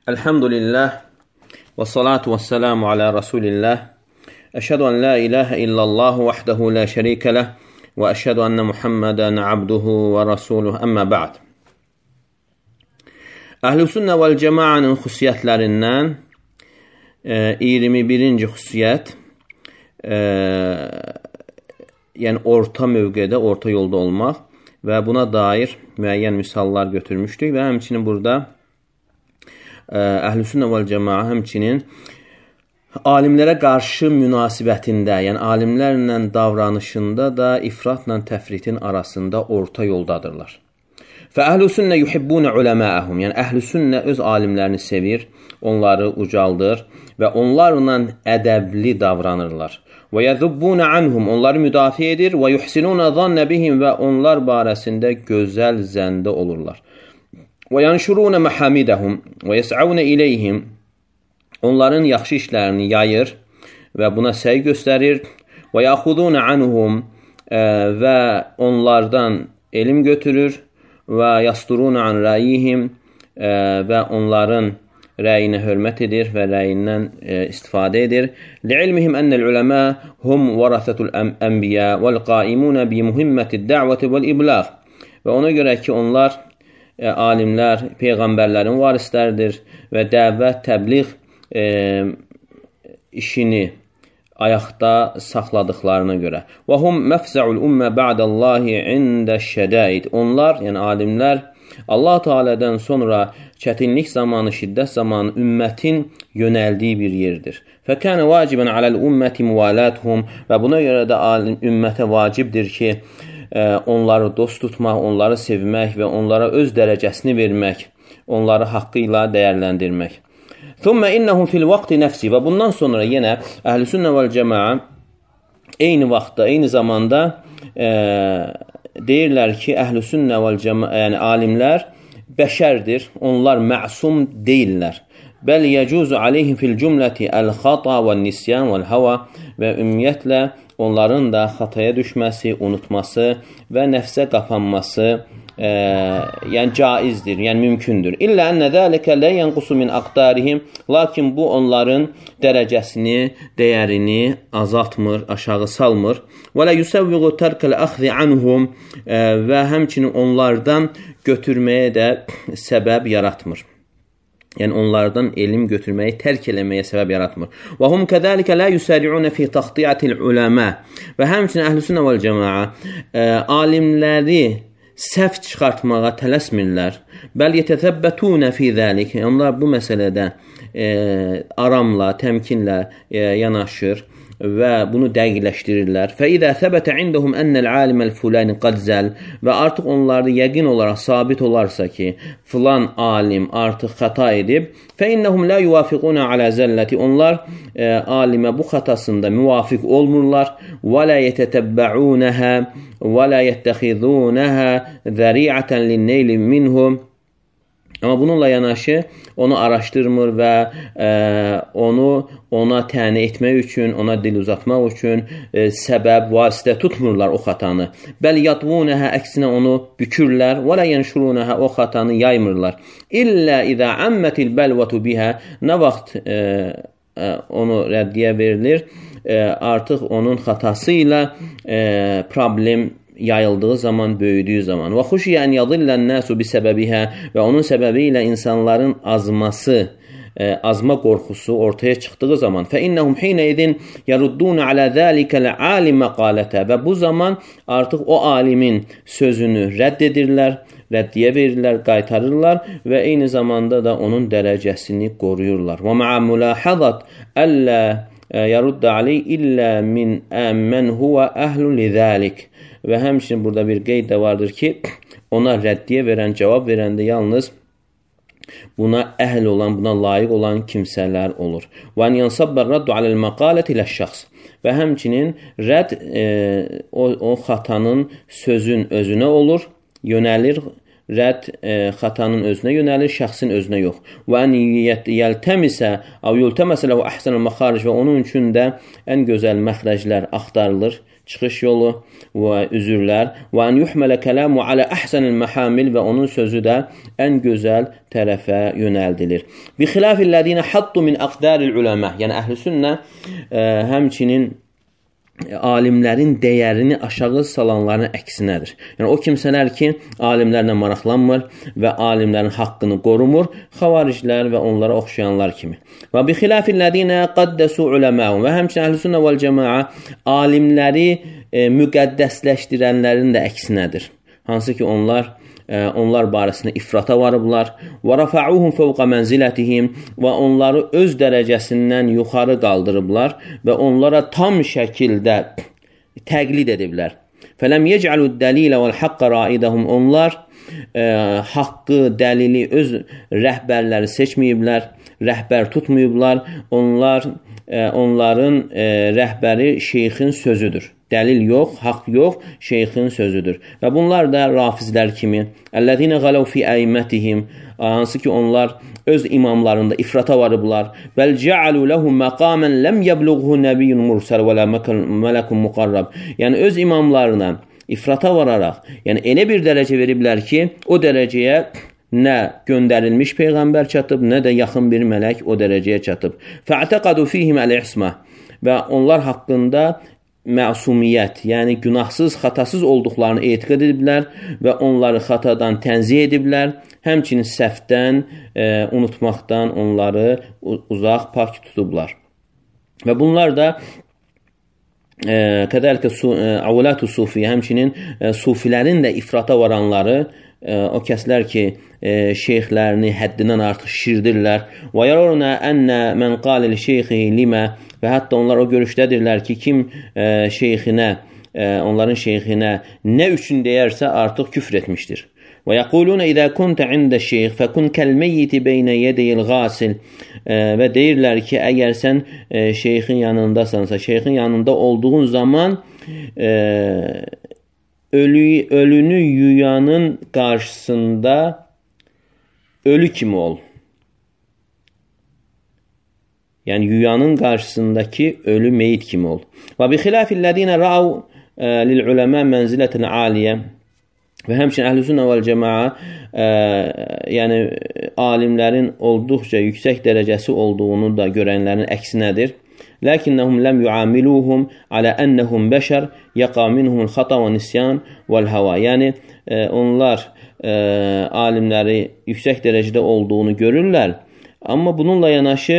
Elhamdülillah ve salatu ve selamu ala Resulillah. Eşhedü en la ilahe illallah vahdehu la şerike leh ve eşhedü enne Muhammeden abduhu ve rasuluhu emmə ba'd. Əhl-i sünnə vəl cəmaənin xüsusiyyətlərindən 21-ci xüsusiyyət, yəni orta mövqedə, orta yolda olmaq və buna dair müəyyən misallar götürmüşdük və həmçinin burada Əhl-i sünnə vəl cəmaə həmçinin alimlərə qarşı münasibətində, yəni alimlərlə davranışında da ifratla təfritin arasında orta yoldadırlar. Fə-əhl-i sünnə yuhibbunə uləməəhum, yəni əhl-i sünnə öz alimlərini sevir, onları ucaldır və onlarla ədəbli davranırlar. Və yəzubbunə anhum, onları müdafiə edir və yuhsinunə zannə bihim və onlar barəsində gözəl zəndə olurlar. Və yanşurunə məhamidəhum və yəs'avnə iləyhim, onların yaxşı işlərini yayır və buna səy göstərir. Və yaxudunə anhum, və onlardan elm götürür. Və yasturunə an rəyihim, və onların rəyinə hörmət edir və rəyindən istifadə edir. Li'ilmihim ennəl uləmə hum vərəsətul ənbiyə vəl qaimunə bi muhimmətid dəvəti vəl iblağ. Və ona görə ki, onlar alimlər peyğəmbərlərin varisləridir və dəvət, təbliğ işini ayaqda saxladıqlarına görə. Və hum məfzəul ümmə ba'dallahi indəşşədəid. Onlar, yəni alimlər, Allah Teala'dan sonra çətinlik zamanı, şiddət zamanı ümmətin yönəldiyi bir yerdir. Fəkənə vacibən aləl ümməti müvalatuhum, və buna görə də ümmətə vacibdir ki, onları dost tutmaq, onları sevmək və onlara öz dərəcəsini vermək, onları haqqı ilə dəyərləndirmək. Thumma innahum fil vaqti nəfsi, və bundan sonra yenə Əhl-i sünnə vəl cəmaə eyni vaxtda, eyni zamanda deyirlər ki, Əhl-i sünnə vəl cəmaə, yəni alimlər bəşərdir, onlar məsum deyirlər. Bəl yəcuzu aleyhim fil cümləti əl-xata və nisyan vəl-hava, və ümumiyyətlə onların da xataya düşməsi, unutması və nəfsə qapanması yəni caizdir, yəni mümkündür. İllə ənə zəlikə lə yənqusu min aqdarihim, lakin bu onların dərəcəsini, dəyərini azaltmır, aşağı salmır. Və lə yusəvviqu tərkəl əxzi anhum, və həmçinin onlardan götürməyə də səbəb yaratmır. Yəni onlardan elm götürməyi tərk eləməyə səbəb yaratmır. Və hum kəzəlikə lə yusəri'unə fi taxtiyatil uləmə, və həmçinin Əhl-i sünnə vəl cəmaə alimləri səhv çıxartmağa tələsmirlər. Bəl yetəzəbbətunə fi zəlik, onlar bu məsələdə aramla, təmkinlə yanaşır və bunu dəqiqləşdirirlər. Fəidə səbətə indəhum ennəl aliməl fulani qadzəl, və artıq onlarda yəqin olaraq sabit olarsa ki, filan alim artıq xəta edib, fəinnəhum lə yuvafiquna alə zəlləti, onlar alimə bu xətasında müvafiq olmurlar, və lə yetətəbbəunəhə və lə yəttəxidunəhə zəriətən linneyli minhum. Amma bununla yanaşı onu araşdırmır və ona təni etmək üçün, ona dil uzatmaq üçün səbəb, vasitə tutmurlar o xatanı. Bəl yadvunəhə, əksinə onu bükürlər, və lə yənşurunəhə, o xatanı yaymırlar. İllə idə əmmətil bəlvətu bihə, nə vaxt onu rəddiyə verilir, artıq onun xatası ilə problem yayıldığı zaman, böyüdüyü zaman. Və xuşiyən yadillən nəsu bi səbəbihə, və onun səbəbi ilə insanların azma qorxusu ortaya çıxdığı zaman. Fə innəhum hinə idin yaruddunə alə zəlikəl alim məqalətə, və bu zaman artıq o alimin sözünü rədd edirlər, rəddiyə verirlər, qaytarırlar və eyni zamanda da onun dərəcəsini qoruyurlar. Və mə'ə mülahəzat əllə yaruddə aleyh illə min əmmən huvə əhlun lidəlik, və həmçinin burada bir qeyd də vardır ki, ona rəddiyə verən, cavab verəndə yalnız buna əhl olan, buna layiq olan kimsələr olur. Və ən yansabbar raddu aləl məqalət ilə şəxs, və həmçinin rədd o xatanın sözün özünə olur, yönəlir, rədd xatanın özünə yönəlir, şəxsin özünə yox. Və ən yəltəmisə, yultəməsə ləhu əhsənəl məxaric, və onun üçün də ən gözəl məxrəclər axtarılır, çıxış yolu və üzürlər və an yuhmələ kələmu alə əhsənil məhamil və onun sözü də ən gözəl tərəfə yönəldilir. Bi xilafillədinə haddu min əqdaril uləmə, yəni əhl-i sünnə həmçinin alimlərin dəyərini aşağı salanların əksinədir. Yəni o kimsələr ki, alimlərlə maraqlanmır və alimlərin haqqını qorumur, xavariclər və onlara oxşayanlar kimi. Və bi xilafillədinə qaddəsu uləməun və həmçinin əhl-i sünnə vəl cəmaə alimləri müqəddəsləşdirənlərin də əksinədir. Hansı ki, onlar barəsində ifrata varıblar və rafa'uhum fawqa mənzilətihim və onları öz dərəcəsindən yuxarı qaldırıblar və onlara tam şəkildə təqlid ediblər. Fələm yec'alud dəlilə vəl haqqa raidəhum, onlar haqqı, dəlili öz rəhbərləri seçməyiblər, rəhbər tutmayıblar, onların rəhbəri şeyxin sözüdür. Dəlil yox, haqq yox, şeyxin sözüdür. Və bunlar da rafizlər kimi, əllədinə qələv fi əimmətihim, hansı ki onlar öz imamlarında ifrata varıblar. Bəl cəalu ləhum məqamən ləm yəbluğhu nəbiyyun mursəl və lə mələkun muqarrab. Yəni öz imamlarına ifrata vararaq, yəni elə bir dərəcə veriblər ki, o dərəcəyə nə göndərilmiş peyğəmbər çatıb, nə də yaxın bir mələk o dərəcəyə çatıb. Fə'təqadu fihim əl-ismə və onlar haqqında məsumiyyət, yəni günahsız, xatasız olduqlarını etiqad ediblər və onları xatadan tənzih ediblər, həmçinin səhvdən, unutmaqdan onları uzaq, pak tutublar. Və bunlar da qədəlikə avulatu sufiyə, həmçinin sufilərin də ifrata varanları, o kəslər ki, şeyxlərini həddindən artıq şişirdirlər. Və yararuna ənə mən qalil şeyxi limə, və hətta onlar o görüşdədirlər ki, kim şeyxinə, onların şeyxinə nə üçün deyərsə artıq küfr etmişdir. Və yəquluna izə kuntə ində şeyx fəkun kəlmeyyiti beynə yədəyil qasil, və deyirlər ki, əgər sən şeyxin yanındasansa, şeyxin yanında olduğun zaman ölünü yuyanın qarşısında ölü kimi ol. Yəni yuyanın qarşısındakı ölü meyit kimi ol. Və bi xilafillədinə ra'u lil uləmə mənzilətən aliyə və həmçinin əhl-i sünnə vəl cəmaə yəni alimlərin olduqca yüksək dərəcəsi olduğunu da görənlərin əksinədir. Lakinnəhum ləm yuamiluhum alə ennəhum bəşər yaqa minhumul xata və nisyan vəl hava. Yəni onlar alimləri yüksək dərəcədə olduğunu görürlər, amma bununla yanaşı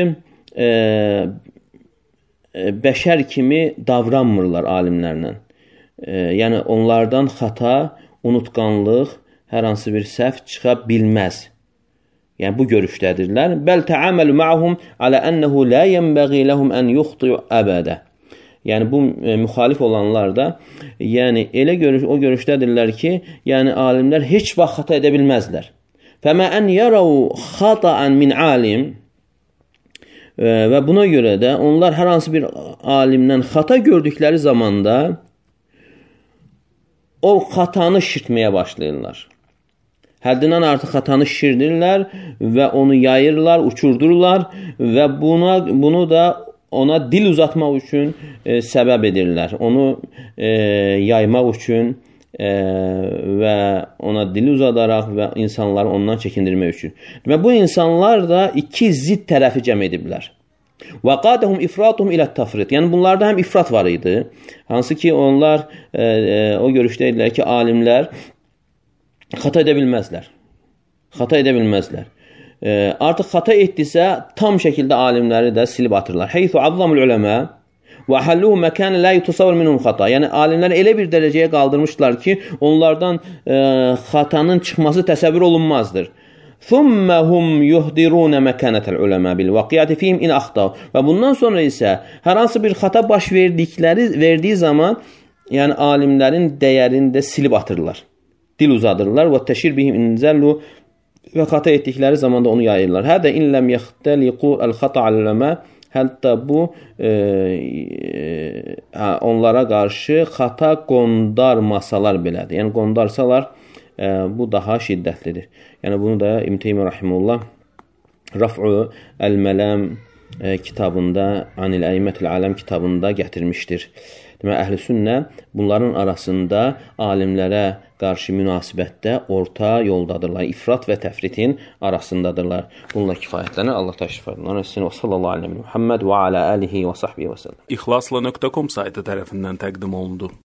bəşər kimi davranmırlar alimlərlə. Yəni onlardan xata, unutqanlıq, hər hansı bir səhv çıxa bilməz. Yəni bu görüşdədirlər. Bəl təaməlu ma'hum alə ənəhu la yenbəği ləhum ən yuxti'u əbədə. Yəni bu müxalif olanlar da yəni elə o görüşdədirlər ki, yəni alimlər heç vaxt xata edə bilməzlər. Fəmə ən yərəu xata'an min alim, və buna görə də onlar hər hansı bir alimdən xata gördükləri zamanda o xatanı şişirtməyə başlayırlar. Həddindən artıq xatanı şişirdirlər və onu yayırlar, uçurdurlar və bunu da ona dil uzatmaq üçün səbəb edirlər. Onu yaymaq üçün və ona dili uzadaraq və insanları ondan çəkindirmək üçün. Və bu insanlar da iki zidd tərəfi cəm ediblər. Və qadəhum ifratuhum ilə tafrit. Yəni bunlarda həm ifrat var idi, hansı ki onlar o görüşdə idilər ki, alimlər xata edə bilməzlər. Xata edə bilməzlər. Artıq xata etdisə, tam şəkildə alimləri də silib atırlar. Heythu azzamul uləmə və əhəlluhu məkənə lə yutasavvur minhum xata. Yəni alimlər elə bir dərəcəyə qaldırmışlar ki, onlardan xatanın çıxması təsəvvür olunmazdır. Thumma hum yuhdiruna məkanətel uləmə bil vaqiyyəti fihim in axtav. Və bundan sonra isə hər hansı bir xata baş verdiyi zaman, yəni alimlərin dəyərini də silib atırlar. Dil uzadırlar və təşir bihim inzəllu və xata etdikləri zaman da onu yayırlar. Hədə inləm yəxtəliqu əl-xata al-uləmə. Hətta bu onlara qarşı xata qondarmasalar belədir. Yəni qondarsalar bu daha şiddətlidir. Yəni bunu da İbn Teymiyyə rahimehullah Raf'u el-Məlam kitabında, Anil Əymətil Aləm kitabında gətirmişdir. Deməli, əhl-i-sünnə bunların arasında alimlərə qarşı münasibətdə orta yoldadırlar. İfrat və təfritin arasındadırlar. Bununla kifayətlənir. Allah təşrif edin. Və sallallahu aleyhi və Muhammed və alə alihi və sahbihi və səlləm. İxlasla.com saytı tərəfindən təqdim olundu.